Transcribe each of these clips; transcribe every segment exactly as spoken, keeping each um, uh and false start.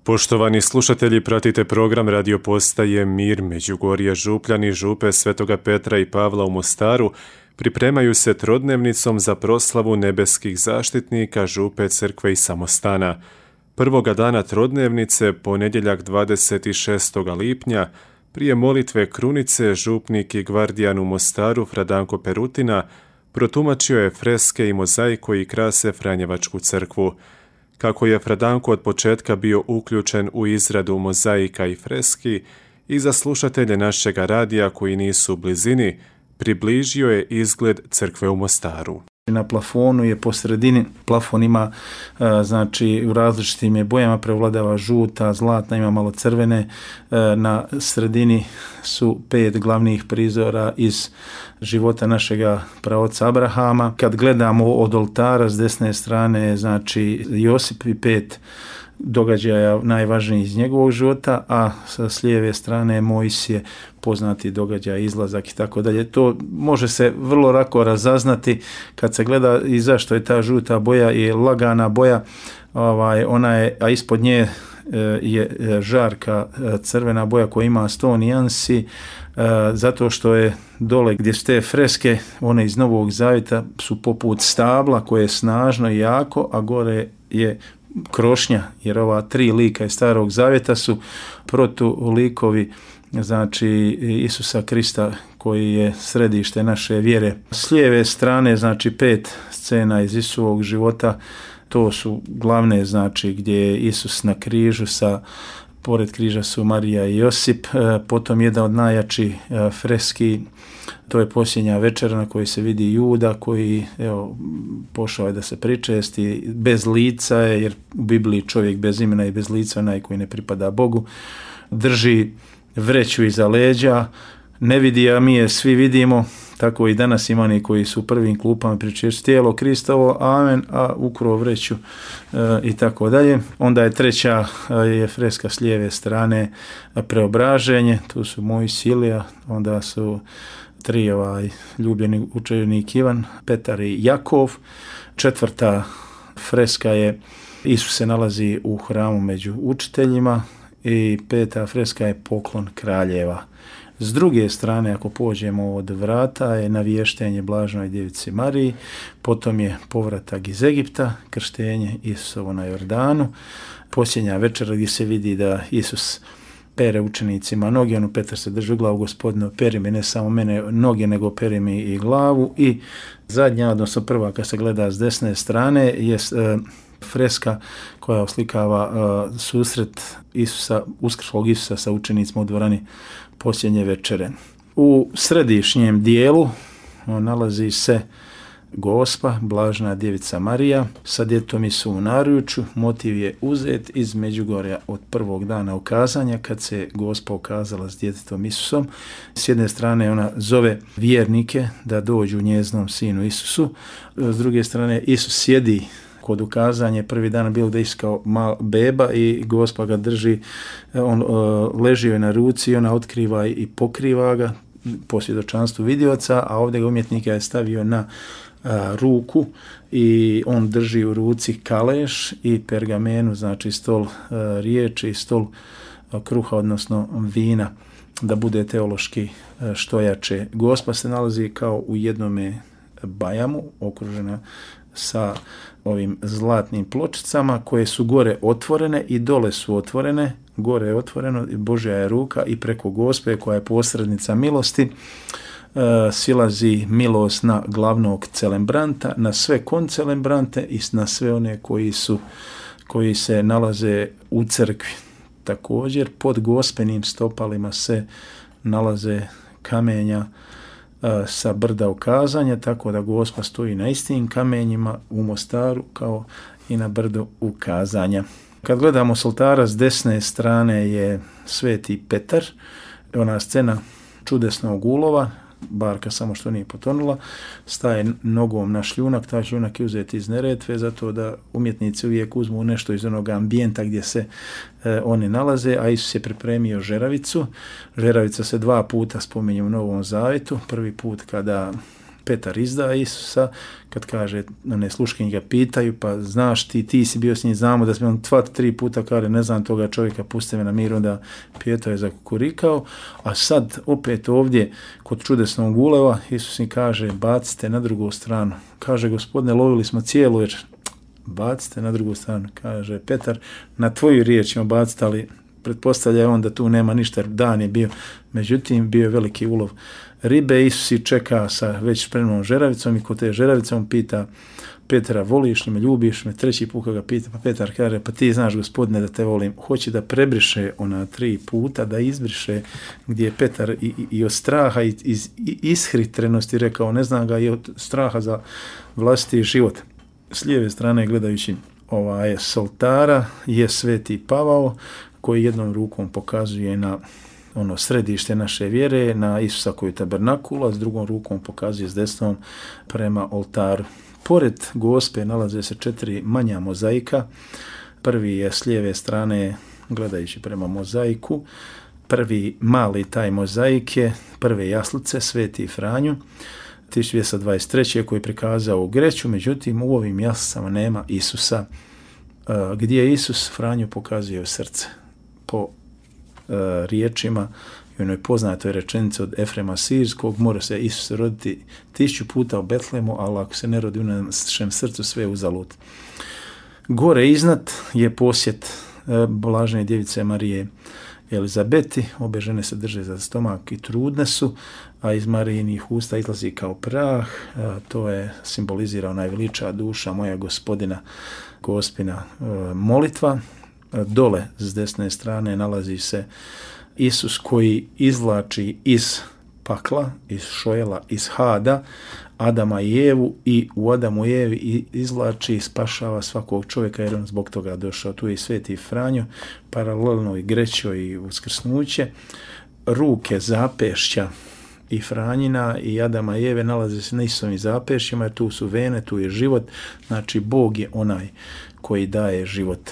Poštovani slušatelji, pratite program radio postaje Mir. Međugorje, Župljani, župe Svetoga Petra i Pavla u Mostaru pripremaju se trodnevnicom za proslavu nebeskih zaštitnika župe, crkve i samostana. Prvoga dana trodnevnice, ponedjeljak dvadeset šestog lipnja, prije molitve krunice, župnik i gvardijan u Mostaru Fra Danko Perutina protumačio je freske i mozaik koji krase Franjevačku crkvu. Kako je Fra Danko od početka bio uključen u izradu mozaika i freski, i za slušatelje našega radija koji nisu u blizini, približio je izgled crkve u Mostaru. Na plafonu je po sredini, plafon ima znači u različitim je bojama, prevladava žuta, zlatna, ima malo crvene. Na sredini su pet glavnih prizora iz života našega praoca Abrahama. Kad gledamo od oltara s desne strane, znači Josip i pet događaja najvažniji iz njegovog života, a sa s lijeve strane Mojsije, poznati događaj, izlazak i tako dalje. To može se vrlo lako razaznati kad se gleda i zašto je ta žuta boja je lagana boja, ovaj, ona je, a ispod nje je žarka crvena boja koja ima sto nijansi, zato što je dole gdje su te freske, one iz Novog Zavjeta su poput stabla koje je snažno i jako, a gore je krošnja, jer ova tri lika iz Starog Zavjeta su protulikovi, znači Isusa Krista koji je središte naše vjere. S lijeve strane, znači pet scena iz Isusovog života, to su glavne, znači gdje je Isus na križu, sa pored križa su Marija i Josip, potom jedan od najjačih freski, to je posljednja večera na kojoj se vidi Juda koji evo, pošao je da se pričesti, bez lica je, jer u Bibliji čovjek bez imena i bez lica, onaj koji ne pripada Bogu, drži vreću iza leđa, ne vidi, a mi je svi vidimo, tako i danas ima oni koji su u prvim klupama pričešću tijelo Kristovo, amen, a ukro vreću e, i tako dalje. Onda je treća je freska s lijeve strane preobraženje, tu su Mojsije, onda su tri ovaj, ljubljeni učenik Ivan, Petar i Jakov. Četvrta freska je Isus se nalazi u hramu među učiteljima i peta freska je poklon kraljeva. S druge strane, ako pođemo od vrata, je navještenje Blaženoj djevici Mariji, potom je povratak iz Egipta, krštenje Isusovo na Jordanu, posljednja večera gdje se vidi da Isus pere učenicima noge, ono Petar se drži u glavu, Gospodine, peri mi ne samo mene noge, nego peri mi i glavu. I zadnja, odnosno prva kad se gleda s desne strane, je e, freska koja oslikava e, susret Isusa, uskrslog Isusa sa učenicima u dvorani posljednje večere. U središnjem dijelu nalazi se Gospa, Blažena djevica Marija, sa djetom Isu u naručju. Motiv je uzet iz Međugorja od prvog dana ukazanja, kad se Gospa ukazala s djetetom Isusom. S jedne strane ona zove vjernike da dođu njeznom sinu Isusu, s druge strane Isus sjedi kod ukazanja, prvi dan bilo da Isus kao mal beba i Gospa ga drži, on uh, leži joj na ruci i ona otkriva i pokriva ga po svjedočanstvu vidioca, a ovdje ga umjetnika je stavio na uh, ruku i on drži u ruci kaleš i pergamenu, znači stol uh, riječi i stol uh, kruha, odnosno vina, da bude teološki uh, što jače. Gospa se nalazi kao u jednome bajamu, okružena sa ovim zlatnim pločicama koje su gore otvorene i dole su otvorene. Gore je otvoreno, Božja je ruka i preko Gospe koja je posrednica milosti e, silazi milost na glavnog celembranta, na sve koncelebrante i na sve one koji su koji se nalaze u crkvi. Također pod Gospenim stopalima se nalaze kamenja sa brda ukazanja, tako da Gospa stoji na istim kamenjima u Mostaru kao i na brdu ukazanja. Kad gledamo s oltara s desne strane je Sveti Petar, ona scena čudesnog ulova, barka samo što nije potonula, staje nogom na šljunak, taj šljunak je uzet iz Neretve, zato da umjetnici uvijek uzmu nešto iz onog ambijenta gdje se e, oni nalaze, a Isus je pripremio žeravicu. Žeravica se dva puta spominje u Novom Zavjetu, prvi put kada Petar izda Isusa, kad kaže, one sluškinje ga pitaju, pa znaš ti, ti si bio s njim, znamo da smo on dva, tri puta kaže, ne znam toga čovjeka, pusti me na mir, onda Pijetar je zakukurikao, a sad opet ovdje kod čudesnog uleva Isus im kaže, bacite na drugu stranu. Kaže, Gospodine, lovili smo cijelu večer, bacite na drugu stranu. Kaže Petar, na tvoju riječ ćemo baciti, ali pretpostavlja on da tu nema ništa, dan je bio. Međutim, bio je veliki ulov ribe. Isus i čeka sa već spremnom žeravicom i kod te žeravice on pita Petra, voliš li me, ljubiš me? Treći put ga pita, pa Petar kaže, pa ti znaš, Gospodine, da te volim. Hoće da prebriše ona tri puta, da izbriše, gdje je Petar i, i, i od straha i iz ishritrenosti rekao, ne znam ga, i od straha za vlastiti život. S lijeve strane gledajući ovaj soltara je Sveti Pavao, koji jednom rukom pokazuje na ono središte naše vjere, na Isusa koji je tabernakula, s drugom rukom pokazuje s desnom prema oltaru. Pored Gospe nalaze se četiri manja mozaika. Prvi je s lijeve strane gledajući prema mozaiku. Prvi mali taj mozaik je prve jaslice Sveti Franju tisuću dvjesto dvadeset treće koji je prikazao u Greću, međutim u ovim jaslicama nema Isusa. Gdje je Isus, Franju pokazuje srce. Po riječima i onoj poznatoj rečenici od Efrema Sirskog, mora se Isus roditi tisuću puta u Betlemu, ali ako se ne rodi u našem srcu, sve je uzalud. Gore iznad je posjet blažene djevice Marije Elizabeti, obe žene se drže za stomak i trudne su, a iz Marijinih usta izlazi kao prah, to je simbolizira najveliča duša moja Gospodina, Gospina molitva. Dole s desne strane nalazi se Isus koji izvlači iz pakla, iz šojela, iz hada Adama i Evu i u Adamu i Evi izvlači i spašava svakog čovjeka jer on zbog toga došao. Tu je i Sveti Franjo, paralelno i Grećo i uskrsnuće. Ruke zapešća i Franjina i Adama i Eve nalaze se na istovim zapešćima jer tu su vene, tu je život, znači Bog je onaj koji daje život.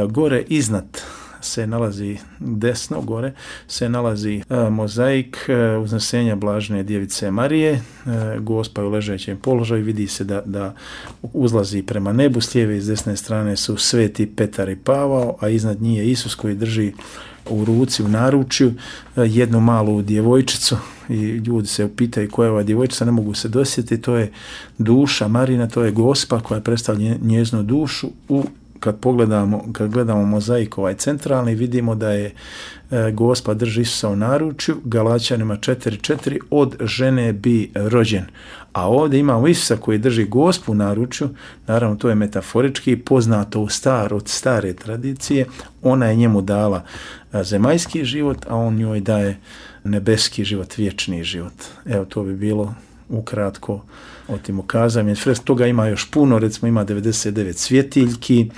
Gore iznad se nalazi, desno gore, se nalazi uh, mozaik uh, uznesenja blažene djevice Marije. Uh, Gospa je u ležećem položaju, vidi se da, da uzlazi prema nebu, s lijeve i s desne strane su Sveti Petar i Pavao, a iznad njih je Isus koji drži u ruci, u naručju, uh, jednu malu djevojčicu i ljudi se upitaju koja je ova djevojčica, ne mogu se dosjetiti, to je duša Marina, to je Gospa koja predstavlja njeznu dušu. U Kad pogledamo, kad gledamo mozaik ovaj centralni, vidimo da je e, Gospa drži Isusa u naručju, Galaćanima četiri četiri, od žene bi rođen. A ovdje imamo Isusa koji drži Gospu u naručju, naravno to je metaforički, poznato u star, od stare tradicije, ona je njemu dala zemaljski život, a on njoj daje nebeski život, vječni život. Evo, to bi bilo ukratko o tim ukazanjima. Toga ima još puno, recimo ima devedeset devet svjetiljki,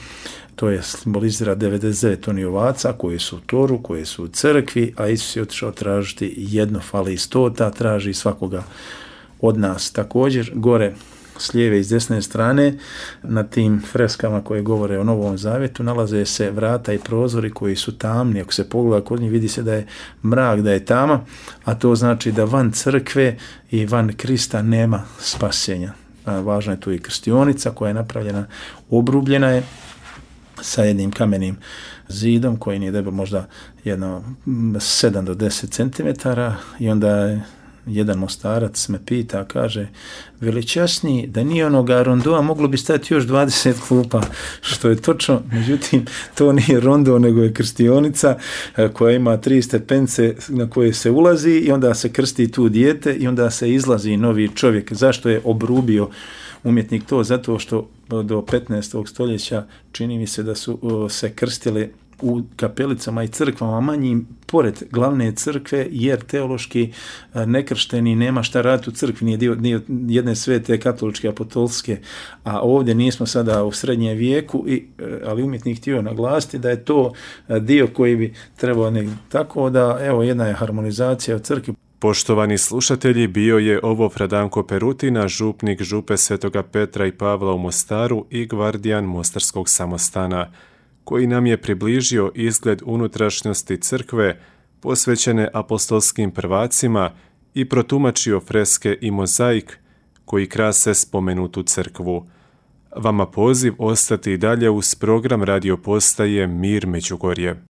to je simbolizira devedeset devet oni ovaca koji su u toru, koji su u crkvi, a Isus je otišao tražiti jedno, fali stota, traži svakoga od nas. Također, gore s lijeve i s desne strane, na tim freskama koje govore o Novom Zavjetu, nalaze se vrata i prozori koji su tamni. Ako se pogleda kod njih, vidi se da je mrak, da je tama, a to znači da van crkve i van Krista nema spasenja. Važna je tu i krstionica koja je napravljena, obrubljena je sa jednim kamenim zidom koji nije debel možda jedno sedam do deset centimetara i onda je jedan mostarac me pita, kaže, veličasniji, da nije onoga rondoa, moglo bi stati još dvadeset klupa, što je točno, međutim, to nije rondo, nego je krstionica koja ima tri stepence na koje se ulazi i onda se krsti tu dijete i onda se izlazi novi čovjek. Zašto je obrubio umjetnik to? Zato što do petnaestog stoljeća čini mi se da su se krstile u kapelicama i crkvama manjim pored glavne crkve, jer teološki nekršteni nema šta raditi u crkvi, nije dio, dio jedne svete katoličke apostolske, a ovdje nismo sada u srednjem vijeku, i, ali umjetnik htio naglasiti da je to dio koji bi trebao negdje. Tako da, evo, jedna je harmonizacija u crkvi. Poštovani slušatelji, bio je ovo Fradanko Perutina, župnik župe Svetoga Petra i Pavla u Mostaru i gvardijan Mostarskog samostana, koji nam je približio izgled unutrašnjosti crkve posvećene apostolskim prvacima i protumačio freske i mozaik koji krase spomenutu crkvu. Vama poziv ostati i dalje uz program radio postaje Mir Međugorje.